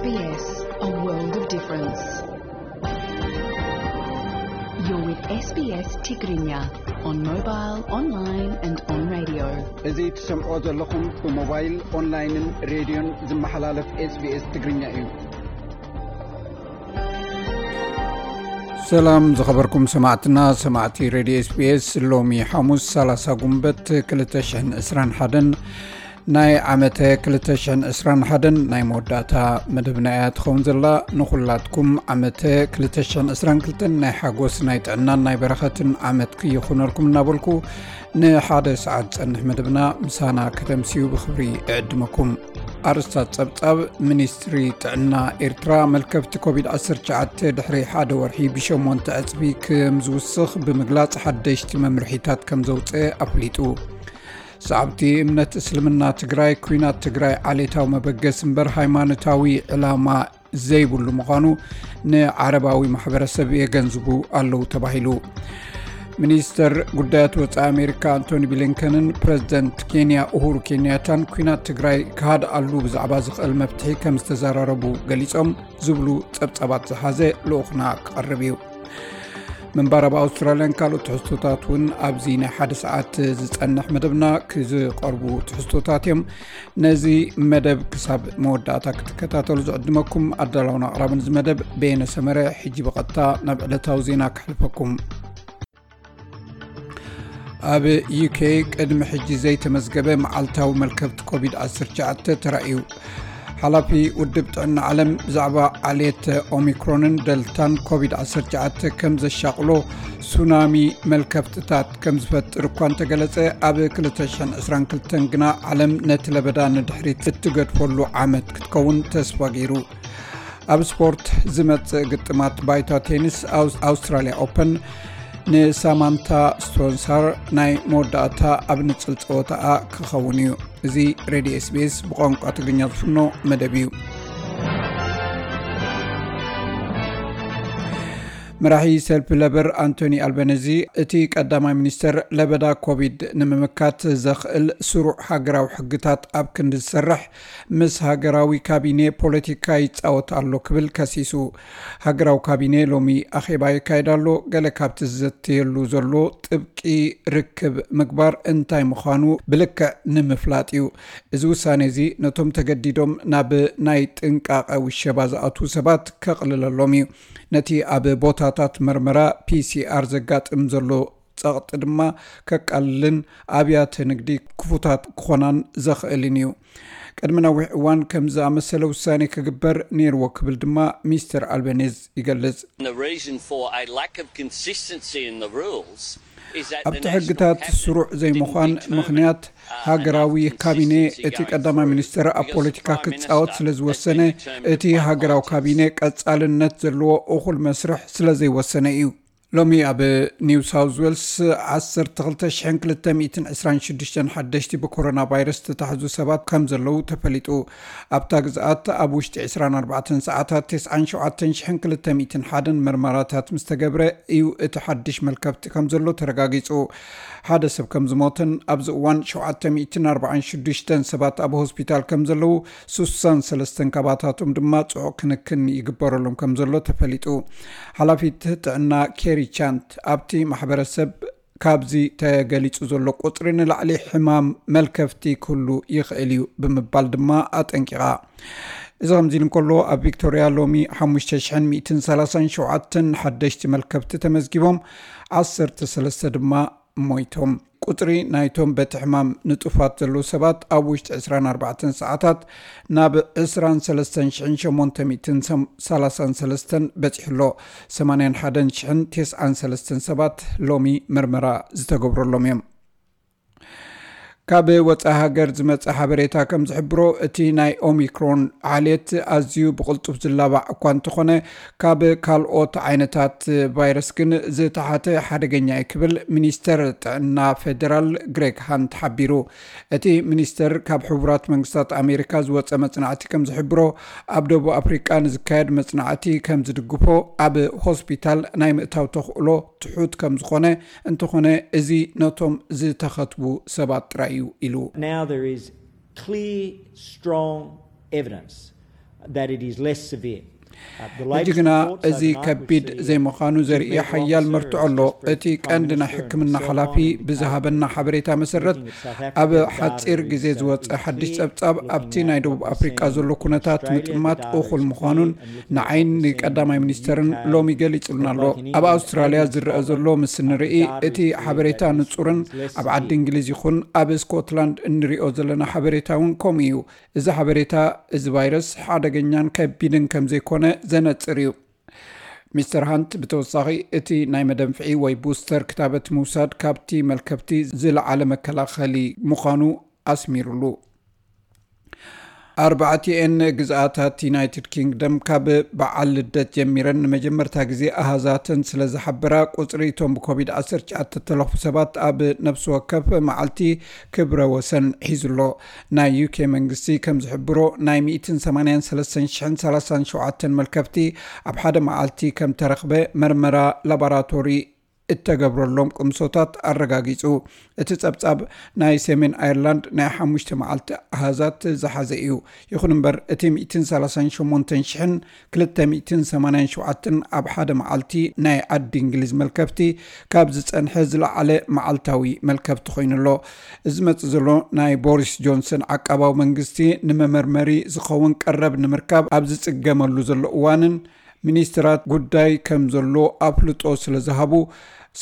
S B S, a world of difference. You're with S B S Tigrinya on mobile, online and on radio. እዚ ትሰምዖ ዘለኹም ብሞባይል፣ ኦንላይንን ሬድዮን ዝመሓላለፍ SBS ትግርኛ እዩ። ሰላም ዝኸበርኩም ሰማዕትና፣ ሰማዕቲ ሬድዮ SBS፣ ሎሚ ሓሙስ ሰላሳ ጉንበት ክልተ ሽሕን ዕስራን ሓደን ናይ ዓመተ ክልተ ሽሕን ዕስራን ሓደን ናይ መወዳእታ መደብና እያ ትኸውን ዘላ። ንኹላትኩም ዓመተ ክልተ ሽሕን ዕስራን ክልተን ናይ ሓጎስ፣ ናይ ጥዕናን ናይ በረኸትን ዓመት ክይኹነልኩም እናበልኩ፣ ንሓደ ሰዓት ዝጸንሕ መደብና ምሳና ከተምስዩ ብኽብሪ እዕድመኩም። ኣርእስታት ጸብጻብ። ሚኒስትሪ ጥዕና ኤርትራ፣ መልከፍቲ ኮቪድ ዓሰርተ ትሽዓተ ድሕሪ ሓደ ወርሒ ብሸሞንተ ዕጽፊ ከም ዝውስኽ ብምግላጽ፣ ሓደሽቲ መምርሒታት ከም ዘውጽአ ኣፍሊጡ። ሰዓብቲ እምነት እስልምና ትግራይ፣ ኲናት ትግራይ ዓሌታዊ መበገሲ እምበር ሃይማኖታዊ ዕላማ ዘይብሉ ምዃኑ ንዓረባዊ ማሕበረሰብ የገንዝቡ ኣለዉ ተባሂሉ። ሚኒስተር ጉዳያት ወጻኢ ኣሜሪካ ኣንቶኒ ብሊንከንን ፕረዚደንት ኬንያ ኡሁሩ ኬንያታን ኲናት ትግራይ ክሃድኣሉ ብዛዕባ ዝኽእል መፍትሒ ከም ዝተዘራረቡ ገሊጾም ዝብሉ ጸብጻባት ዝሓዘ ልኡኽና ክቐርብ እዩ። ምንባር ኣብ ኣውስትራልያን ካልኦት ትሕዝቶታት እውን ኣብዚ ናይ ሓደ ሰዓት ዝጸንሕ መደብና ክዝቐርቡ ትሕዝቶታት እዮም። ነዚ መደብ ክሳብ መወዳእታ ክትከታተሉ ዝዕድመኩም ኣዳላውን ኣቕራብን እዚ መደብ በየነ ሰመረ። ሕጂ ብቐጥታ ናብ ዕለታዊ ዜና ክሕልፈኩም። ኣብ ዩኬ ቅድሚ ሕጂ ዘይተመዝገበ መዓልታዊ መልከፍቲ ኮቪድ ዓሰርተ ትሽዓተ ተራእዩ። ሓላፊ ውድብ ጥዕና ዓለም ብዛዕባ ዓሌት ኦሚክሮንን ደልታን ኮቪድ ዓሰርተ ትሽዓተ ከም ዘሻቕሎ ሱናሚ መልከፍትታት ከም ዝፈጥር እኳ እንተገለጸ፣ ኣብ ክልተ ሽሕን ዕስራን ክልተን ግና ዓለም ነቲ ለበዳ ንድሕሪት እትገድፈሉ ዓመት ክትከውን ተስፋ ገይሩ። ኣብ ስፖርት ዝመጽእ ግጥማት ባይታ ቴኒስ ኣውስ-፣ ኣውስትራልያ ኦፐን ንሳማንታ ስቶንሳር ናይ መወዳእታ ኣብ ንጽል ጸወታኣ ክኸውን እዩ። እዚ ሬድዮ SBS ብቋንቋ ትግርኛ ዝፍኖ መደብ እዩ። መራሒ ሰልፊ ለበር ኣንቶኒ ኣልበነዚ፣ እቲ ቀዳማይ ሚኒስተር ለበዳ ኮቪድ ንምምካት ዘኽእል ስሩዕ ሃገራዊ ሕግታት ኣብ ክንዲ ዝሰርሕ፣ ምስ ሃገራዊ ካቢኔ ፖለቲካ ይጻወት ኣሎ ክብል ከሲሱ። ሃገራዊ ካቢኔ ሎሚ ኣኼባ የካይድ ኣሎ። ገለ ካብቲ ዝዘተየሉ ዘሎ ጥብቂ ርክብ ምግባር እንታይ ምዃኑ ብልክዕ ንምፍላጥ እዩ። እዚ ውሳነ እዚ ነቶም ተገዲዶም ናብ ናይ ጥንቃቐ ውሸባ ዝኣትዉ ሰባት ከቕልለሎም እዩ። ነቲ ኣብ ቦታታት መርመራ ፒሲኣር ዘጋጥም ዘሎ ጸቕጢ ድማ ከቃልልን ኣብያተ ንግዲ ክፉታት ክኾናን ዘኽእልን እዩ። ቅድሚ ነዊሕ እዋን ከም ዝኣመሰለ ውሳኔ ክግበር ነይርዎ ክብል ድማ ሚስተር ኣልበኔዝ ይገልጽ። The reason for a lack of consistency in the rules is that the ኣብቲ ሕግታት ስሩዕ ዘይምዃን ምኽንያት ሃገራዊ ካቢኔ እቲ ቀዳማይ ሚኒስትር ኣብ ፖለቲካ ክጻወት ስለ ዝወሰነ፣ እቲ ሃገራዊ ካቢኔ ቀጻልነት ዘለዎ እኹል መስርሕ ስለ ዘይወሰነ እዩ። ሎሚ ኣብ ኒው ሳውዝ ዌልስ ዓሰርተ ክልተ ሽሕን ክልተ ሚእትን ዕስራን ሽዱሽተን ሓደሽቲ ብኮሮና ቫይረስ ዝተታሕዙ ሰባት ከም ዘለዉ ተፈሊጡ። ኣብታ ግዝኣት ኣብ ውሽጢ ዕስራን ኣርባዕተን ሰዓታት ተስዓን ሸውዓተን ሽሕን ክልተ ሚእትን ሓደን መርመራታት ምስ ተገብረ እዩ እቲ ሓድሽ መልከፍቲ ከም ዘሎ ተረጋጊጹ። ሓደ ሰብ ከም ዝሞተን ኣብዚ እዋን ሸውዓተ ሚእትን ኣርባዓን ሽዱሽተን ሰባት ኣብ ሆስፒታል ከም ዘለዉ፣ ስሳን ሰለስተን ካባታቶም ድማ ጽዑቕ ክንክን ይግበረሎም ከም ዘሎ ተፈሊጡ። ሓላፊት ጥዕና ኬሪ ቻንት፣ ኣብቲ ማሕበረሰብ ካብዚ ተገሊጹ ዘሎ ቁጽሪ ንላዕሊ ሕማም መልከፍቲ ክህሉ ይኽእል እዩ ብምባል ድማ ኣጠንቂቓ። እዚ ከምዚ ኢሉ እንከሎ፣ ኣብ ቪክቶርያ ሎሚ ሓሙሽተ ሽሕን ሚእትን ሰላሳን ሸውዓተን ሓደሽቲ መልከፍቲ ተመዝጊቦም፣ ዓሰርተ ሰለስተ ድማ ሞይቶም። ቁጽሪ ናይቶም በቲ ሕማም ንጡፋት ዘለዉ ሰባት ኣብ ውሽጢ ዕስራን ኣርባዕተን ሰዓታት ናብ ዕስራን ሰለስተን ሽሕን ሸሞንተ ሚእትን ሰላሳን ሰለስተን በጺሑ ኣሎ። ሰማንያን ሓደን ሽሕን ተስዓን ሰለስተን ሰባት ሎሚ መርመራ ዝተገብረሎም እዮም። ካብ ወጻኢ ሃገር ዝመጸ ሓበሬታ ከም ዝሕብሮ፣ እቲ ናይ ኦሚክሮን ዓሌት ኣዝዩ ብቕልጡፍ ዝላባዕ እኳ እንተኾነ፣ ካብ ካልኦት ዓይነታት ቫይረስ ግን ዝተሓተ ሓደገኛ እዩ ክብል ሚኒስተር ጥዕና ፌደራል ግሬግ ሃንት ሓቢሩ። እቲ ሚኒስተር ካብ ሕቡራት መንግስታት ኣሜሪካ ዝወጸ መጽናዕቲ ከም ዝሕብሮ፣ ኣብ ደቡብ ኣፍሪቃ ንዝካየድ መጽናዕቲ ከም ዝድግፎ፣ ኣብ ሆስፒታል ናይ ምእታው ተኽእሎ ትሑት ከም ዝኾነ፣ እንተኾነ እዚ ነቶም ዝተኸትቡ ሰባት ጥራይ እዩ ኢሉ። Now there is clear, strong evidence that it is less severe. ሕጂ ግና እዚ ከቢድ ዘይምዃኑ ዘርኢ ሓያል መርትዖ ኣሎ። እቲ ቀንዲ ናይ ሕክምና ሓላፊ ብዝሃበና ሓበሬታ መሰረት፣ ኣብ ሓፂር ግዜ ዝወፀ ሓድሽ ፀብፃብ ኣብቲ ናይ ደቡብ ኣፍሪቃ ዘሎ ኩነታት ምጥማት እኹል ምዃኑን ንዓይን ንቀዳማይ ሚኒስተርን ሎሚ ገሊጹልና ኣሎ። ኣብ ኣውስትራልያ ዝረአ ዘሎ ምስ ንርኢ፣ እቲ ሓበሬታ ንጹርን ኣብ ዓዲ እንግሊዝ ይኹን ኣብ ስኮትላንድ እንሪኦ ዘለና ሓበሬታ እውን ከምኡ እዩ። እዚ ሓበሬታ፣ እዚ ቫይረስ ሓደገኛን ከቢድን ከም ዘይኮነ ዘነጽር እዩ። ሚስተር ሃንት ብተወሳኺ፣ እቲ ናይ መደንፍዒ ወይ ቡስተር ክታበት ምውሳድ ካብቲ መልከፍቲ ዝለዓለ መከላኸሊ ምዃኑ ኣስሚሩሉ። ኣርባዕቲኤን ግዝኣታት ዩናይትድ ኪንግደም ካብ በዓል ልደት ጀሚረን ንመጀመርታ ግዜ ኣሃዛተን ስለ ዝሓበራ፣ ቁጽሪ እቶም ብኮቪድ ዓሰርተ ትሽዓተ እተለኽፉ ሰባት ኣብ ነፍሲ ወከፍ መዓልቲ ክብረ ወሰን ሒዙ ኣሎ። ናይ ዩኬ መንግስቲ ከም ዝሕብሮ፣ ናይ ሚእትን ሰማንያን ሰለስተን ሽሕን ሰላሳን ሸውዓተን መልከፍቲ ኣብ ሓደ መዓልቲ ከም ተረኽበ መርመራ ላቦራቶሪ እተገብረሎም ቅምሶታት ኣረጋጊጹ። እቲ ጸብጻብ ናይ ሰሜን ኣየርላንድ ናይ ሓሙሽተ መዓልቲ ኣሃዛት ዝሓዘ እዩ። ይኹን እምበር፣ እቲ ሚእትን ሰላሳን ሸሞንተን ሽሕን ክልተ ሚእትን ሰማንያን ሸውዓተን ኣብ ሓደ መዓልቲ ናይ ዓዲ እንግሊዝ መልከፍቲ ካብ ዝጸንሐ ዝለዓለ መዓልታዊ መልከፍቲ ኮይኑ ኣሎ። እዚ ዝመጽእ ዘሎ ናይ ቦሪስ ጆንሰን ዓቃባዊ መንግስቲ ንመመርመሪ ዝኸውን ቀረብ ንምርካብ ኣብ ዝጽገመሉ ዘሎ እዋንን፣ ሚኒስትራት ጉዳይ ከም ዘሎ ኣፍልጦ ስለ ዝሃቡ፣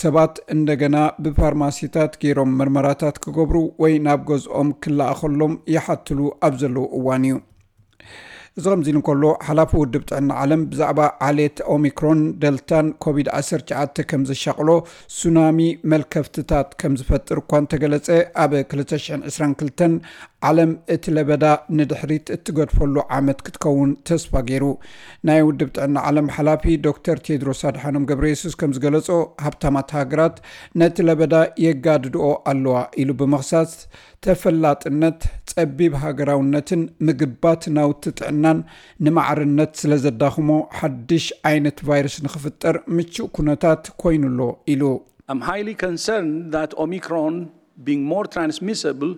ሰባት እንደገና ብፋርማሲታት ገይሮም መርመራታት ክገብሩ ወይ ናብ ገዝኦም ክለኣኸሎም ይሓትሉ ኣብ ዘለዉ እዋን እዩ። እዚ ከምዚ ኢሉ እንከሎ፣ ሓላፊ ውድብ ጥዕና ዓለም ብዛዕባ ዓሌት ኦሚክሮን፣ ደልታን ኮቪድ ዓሰርተ ትሽዓተ ከም ዘሻቕሎ፣ ሱናሚ መልከፍትታት ከም ዝፈጥር እኳ እንተገለጸ፣ ኣብ ክልተ ሽሕን ዕስራን ክልተን ዓለም እቲ ለበዳ ንድሕሪት እትገድፈሉ ዓመት ክትከውን ተስፋ ገይሩ። ናይ ውድብ ጥዕና ዓለም ሓላፊ ዶክተር ቴድሮስ ኣድሓኖም ገብረየሱስ ከም ዝገለጾ፣ ሃብታማት ሃገራት ነቲ ለበዳ የጋድድኦ ኣለዋ ኢሉ ብምኽሳስ፣ ተፈላጥነት፣ ጸቢብ ሃገራውነትን ምግባት ናውቲ ጥዕናን ንማዕርነት ስለ ዘዳኽሞ፣ ሓድሽ ዓይነት ቫይረስ ንኽፍጠር ምቹእ ኩነታት ኮይኑ ኣሎ ኢሉ። I'm highly concerned that Omicron, being more transmissible,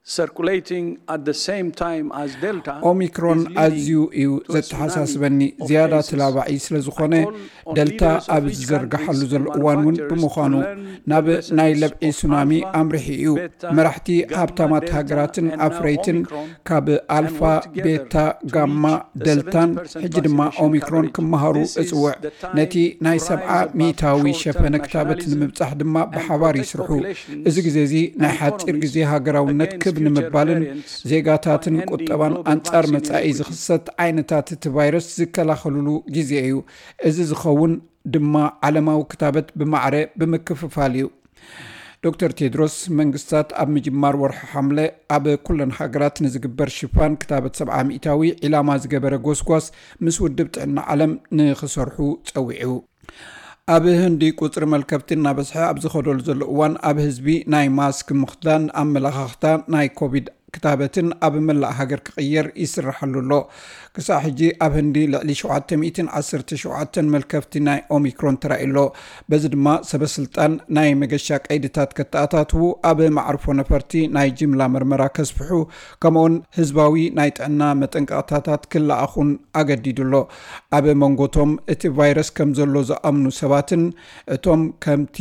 circulating at the same time as Delta, ኦሚክሮን is leading ኣዝዩ እዩ to a tsunami ዘተሓሳስበኒ። of ዝያዳ cases. ተላባዒ ስለ ዝኾነ፣ I call on ደልታ leaders of ኣብ each ዝዘርግሓሉ countries ዘሎ and እዋን እውን manufacturers ብምዃኑ፣ to learn ናብ the lessons ናይ ለብዒ of ሱናሚ Alpha, ኣምሪሑ እዩ። Beta, መራሕቲ Gamma, ሃብታማት Delta, ሃገራትን and now ኣፍረይትን Omicron ካብ ኣልፋ፣ and work together ቤታ፣ to ጋማ፣ reach the ደልታን seventy percent ሕጂ ድማ vaccination ኦሚክሮን coverage. ክመሃሩ This is እጽውዕ። the time ነቲ ናይ to rise ሰብዓ above ሚእታዊ short-term ሸፈነ ክታበት nationalism ንምብጻሕ ድማ and ብሓባር protect ይስርሑ። populations እዚ ግዜ እዚ ናይ and ሓጺር economies ግዜ ሃገራውነት against ክብ future ንምባልን variants ዜጋታትን of any ቁጠባን global ኣንጻር vaccine መጻኢ inequity. ዝኽሰት ዓይነታት እቲ ቫይረስ ዝከላኸሉሉ ግዜ እዩ። እዚ ዝኸውን ድማ ዓለማዊ ክታበት ብማዕረ ብምክፍፋል እዩ። ዶክተር ቴድሮስ፣ መንግስታት ኣብ ምጅማር ወርሒ ሓምለ ኣብ ኩለን ሃገራት ንዝግበር ሽፋን ክታበት ሰብዓ ሚእታዊ ዒላማ ዝገበረ ጎስጓስ ምስ ውድብ ጥዕና ዓለም ንኽሰርሑ ጸዊዑ። ኣብ ህንዲ ቁጽሪ መልከፍቲ እናበዝሐ ኣብ ዝኸደሉ ዘሎ እዋን፣ ኣብ ህዝቢ ናይ ማስክ ምኽዳን ኣመለኻኽታ ናይ ኮቪድ ክታበትን ኣብ መላእ ሃገር ክቕየር ይስራሓሉ ኣሎ። ክሳዕ ሕጂ ኣብ ህንዲ ልዕሊ ሸውዓተ ሚእትን ዓሰርተ ሸውዓተን መልከፍቲ ናይ ኦሚክሮን ተራእዩ ኣሎ። በዚ ድማ ሰበስልጣን ናይ መገሻ ቀይድታት ከተኣታትዉ፣ ኣብ መዓርፎ ነፈርቲ ናይ ጅምላ መርመራ ከስፍሑ፣ ከምኡውን ህዝባዊ ናይ ጥዕና መጠንቀቕታታት ክለኣኹን ኣገዲዱ ኣሎ። ኣብ መንጎቶም እቲ ቫይረስ ከም ዘሎ ዝኣምኑ ሰባትን እቶም ከምቲ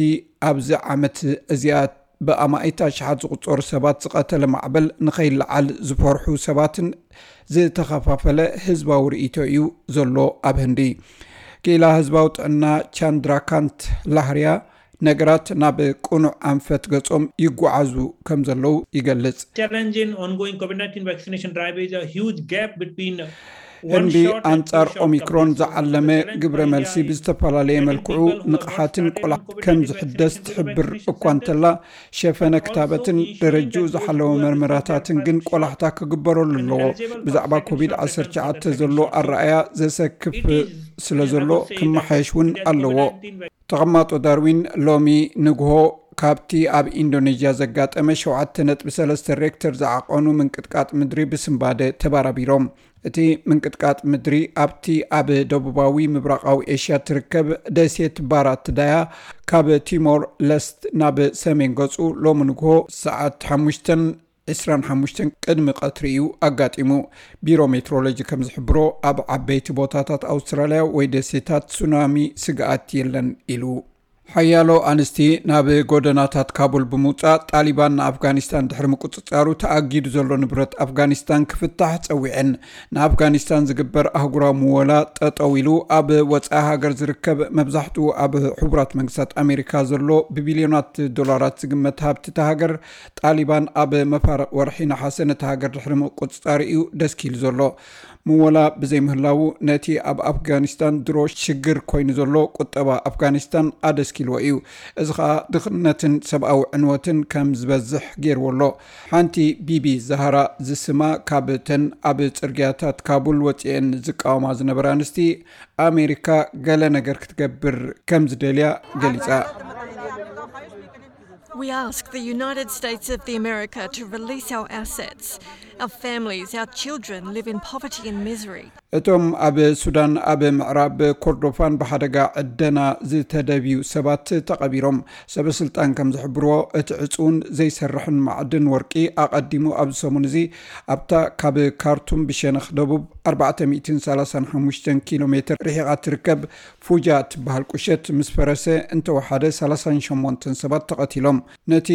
ኣብዚ ዓመት እዚኣ ብኣማኢት ኣሽሓት ዝቑጸሩ ሰባት ዝቐተለ ማዕበል ንኸይለዓል ዝፈርሑ ሰባትን ዝተኸፋፈለ ህዝባዊ ርእይቶ እዩ ዘሎ ኣብ ህንዲ። ክኢላ ህዝባዊ ጥዕና ቻንድራካንት ላህርያ፣ ነገራት ናብ ቅኑዕ ኣንፈት ገጾም ይጓዓዙ ከም ዘለዉ ይገልጽ። Challenge in ongoing COVID nineteen vaccination drive is a huge gap between one ህንዲ shot and ኣንጻር two shot ኦሚክሮን coverage. ዝዓለመ ግብረ መልሲ ብዝተፈላለየ መልክዑ ንቕሓትን ቆላሕታን ከም ዝሕደስ ትሕብር እኳ እንተላ፣ ሸፈነ ክታበትን ደረጅኡ ዝሓለወ መርመራታትን ግን ቆላሕታ ክግበረሉ ኣለዎ። ብዛዕባ ኮቪድ ዓሰርተ ትሽዓተ ዘሎ ኣረኣያ ዘሰክፍ ስለ ዘሎ ክመሓየሽ እውን ኣለዎ። ተቐማጦ ዳርዊን ሎሚ ንግሆ ካብቲ ኣብ ኢንዶኔዥያ ዘጋጠመ ሸውዓተ ነጥቢ ሰለስተ ሬክተር ዝዓቐኑ ምንቅጥቃጥ ምድሪ ብስንባደ ተባራቢሮም። እቲ ምንቅጥቃጥ ምድሪ ኣብቲ ኣብ ደቡባዊ ምብራቓዊ ኤሽያ ትርከብ ደሴት ባራት ዳያ፣ ካብ ቲሞር ለስት ናብ ሰሜን ገጹ፣ ሎሚ ንግሆ ሰዓት ሓሙሽተን ዕስራን ሓሙሽተን ቅድሚ ቀትሪ እዩ ኣጋጢሙ። ቢሮ ሜትሮሎጂ ከም ዝሕብሮ፣ ኣብ ዓበይቲ ቦታታት ኣውስትራልያ ወይ ደሴታት ሱናሚ ስግኣት የለን ኢሉ። ሓያሎ ኣንስቲ ናብ ጎደናታት ካቡል ብምውጻእ፣ ጣሊባን ንኣፍጋኒስታን ድሕሪ ምቁጽጻሩ፣ ተኣጊዱ ዘሎ ንብረት ኣፍጋኒስታን ክፍታሕ ጸዊዐን። ንኣፍጋኒስታን ዝግበር ኣህጉራዊ ምወላ ጠጠው ኢሉ፣ ኣብ ወጻኢ ሃገር ዝርከብ፣ መብዛሕትኡ ኣብ ሕቡራት መንግስታት ኣሜሪካ ዘሎ ብቢልዮናት ዶላራት ዝግመት ሃብቲ እታ ሃገር፣ ጣሊባን ኣብ መፋርቕ ወርሒ ነሓሰ ነታ ሃገር ድሕሪ ምቁጽጻሩ እዩ ደስኪሉ ዘሎ። ምወላ ብዘይምህላዉ፣ ነቲ ኣብ ኣፍጋኒስታን ድሮ ሽግር ኮይኑ ዘሎ ቁጠባ ኣፍጋኒስታን ኣደስኪልዎ እዩ። እዚ ኸኣ ድኽነትን ሰብኣዊ ዕንወትን ከም ዝበዝሕ ገይርዎ ኣሎ። ሓንቲ ቢቢ ዛሃራ ዝስማ፣ ካብ ተን ኣብ ጽርግያታት ካቡል ወጺኤን ዝቃወማ ዝነበራ ኣንስቲ፣ ኣሜሪካ ገለ ነገር ክትገብር ከም ዝደልያ ገሊጻ። We ask the United States of the America to release our assets. Our families, our children live in poverty and misery. እቶም ኣብ ሱዳን ኣብ ምዕራብ ኮርዶፋን ብሓደጋ ዕደና ዝተደብዩ ሰባት ተቐቢሮም። ሰበ ስልጣን ከም ዝሕብርዎ፣ እቲ ዕጹውን ዘይሰርሕን ማዕድን ወርቂ ኣቐዲሙ ኣብዚ ሰሙን እዚ ኣብታ ካብ ካርቱም ብሸነኽ ደቡብ ኣርባዕተ ሚእትን ሰላሳን ሓሙሽተን ኪሎ ሜትር ርሒቓ ትርከብ ፉጃ ትበሃል ቁሸት ምስ ፈረሰ እንተወሓደ ሰላሳን ሸሞንተን ሰባት ተቐቲሎም። ነቲ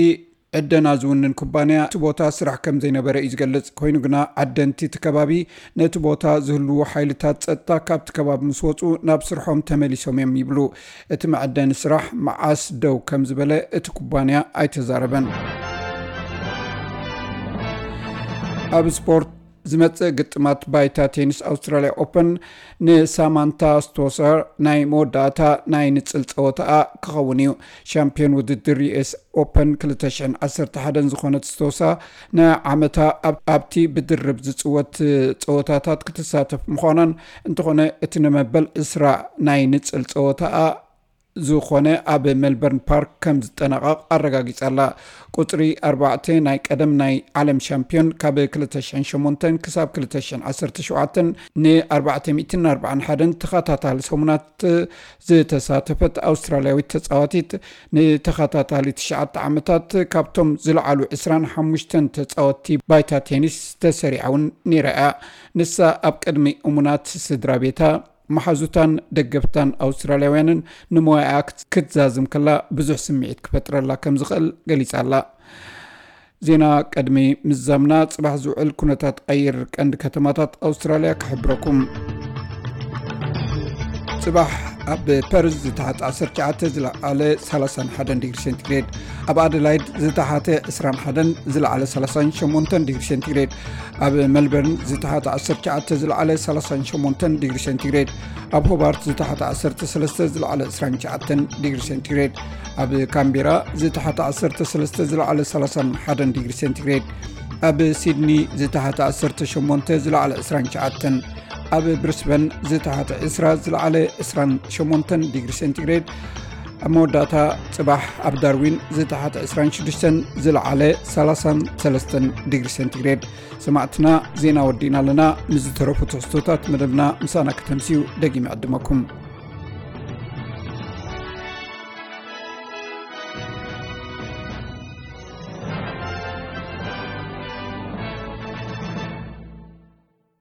ዕደና ዝውንን ኩባንያ እቲ ቦታ ስራሕ ከም ዘይነበረ እዩ ዝገልጽ። ኮይኑ ግና ዓደንቲ እቲ ከባቢ ነቲ ቦታ ዝህልዉ ሓይልታት ጸጥታ ካብቲ ከባቢ ምስ ወጹ ናብ ስርሖም ተመሊሶም እዮም ይብሉ። እቲ መዐደኒ ስራሕ መዓስ ደው ከም ዝበለ እቲ ኩባንያ ኣይተዛረበን። ኣብ ስፖርት ዝመጽእ ግጥማት ባይታ ቴኒስ ኣውስትራልያ ኦፐን ንሳማንታ ስቶሰር ናይ መወዳእታ ናይ ንጽል ጸወታኣ ክኸውን እዩ። ሻምፒዮን ውድድር ዩ ኤስ ኦፐን ክልተ ሽሕን ዓሰርተ ሓደን ዝኾነት ስቶሳ ንዓመታ ኣብ-፣ ኣብቲ ብድርብ ዝጽወት ጸወታታት ክትሳተፍ ምዃናን፣ እንተኾነ እቲ ንመበል ዕስራ ናይ ንጽል ጸወታኣ ዝኾነ ኣብ ሜልበርን ፓርክ ከም ዝጠናቐቕ ኣረጋጊጻ ኣላ። ቁጽሪ ኣርባዕተ ናይ ቀደም ናይ ዓለም ሻምፒዮን ካብ ክልተ ሽሕን ሸሞንተን ክሳብ ክልተ ሽሕን ዓሰርተ ሸውዓተን ንኣርባዕተ ሚእትን ኣርባዓን ሓደን ተኸታታሊ ሰሙናት ዝተሳተፈት ኣውስትራልያዊት ተጻዋቲት፣ ንተኸታታሊ ትሽዓተ ዓመታት ካብቶም ዝለዓሉ ዕስራን ሓሙሽተን ተጻወትቲ ባይታ ቴኒስ ተሰሪዓ እውን ነይራ እያ። ንሳ ኣብ ቅድሚ እሙናት ስድራ ቤታ፣ መሓዙታን ደገፍታን ኣውስትራልያውያንን ንሞያኣ ክት-፣ ክትዛዝም ከላ ብዙሕ ስምዒት ክፈጥረላ ከም ዝኽእል ገሊጻ ኣላ። ዜና ቅድሚ ምዛምና፣ ጽባሕ ዝውዕል ኩነታት ኣየር ቀንዲ ከተማታት ኣውስትራልያ ክሕብረኩም። ጽባሕ ኣብ ፐርዝ ዝተሓተ ዓሰርተ ትሽዓተ፣ ዝለዓለ ሰላሳን ሓደን ዲግሪ ሴንቲግሬድ፣ ኣብ ኣደላይድ ዝተሓተ ዕስራን ሓደን፣ ዝለዓለ ሰላሳን ሸሞንተን ዲግሪ ሴንቲግሬድ፣ ኣብ ሜልበርን ዝተሓተ ዓሰርተ ትሽዓተ፣ ዝለዓለ ሰላሳን ሸሞንተን ዲግሪ ሴንቲግሬድ፣ ኣብ ሆባርት ዝተሓተ ዓሰርተ ሰለስተ፣ ዝለዓለ ዕስራን ትሽዓተን ዲግሪ ሴንቲግሬድ፣ ኣብ ካምቤራ ዝተሓተ ዓሰርተ ሰለስተ፣ ዝለዓለ ሰላሳን ሓደን ዲግሪ ሴንቲግሬድ፣ ኣብ ሲድኒ ዝተሓተ ዓሰርተ ሸሞንተ፣ ዝለዓለ ዕስራን ትሽዓተን፣ ኣብ ብሪስበን ዝተሓተ ዕስራ፣ ዝለዓለ ዕስራን ሸሞንተን ዲግሪ ሴንቲግሬድ፣ ኣብ መወዳእታ ጽባሕ ኣብ ዳርዊን ዝተሓተ ዕስራን ሽዱሽተን፣ ዝለዓለ ሰላሳን ሰለስተን ዲግሪ ሴንቲግሬድ። ሰማዕትና፣ ዜና ወዲእና ኣለና። ምስ ዝተረፉ ትሕዝቶታት መደብና ምሳና ከተምስዩ ደጊመ ዕድመኩም።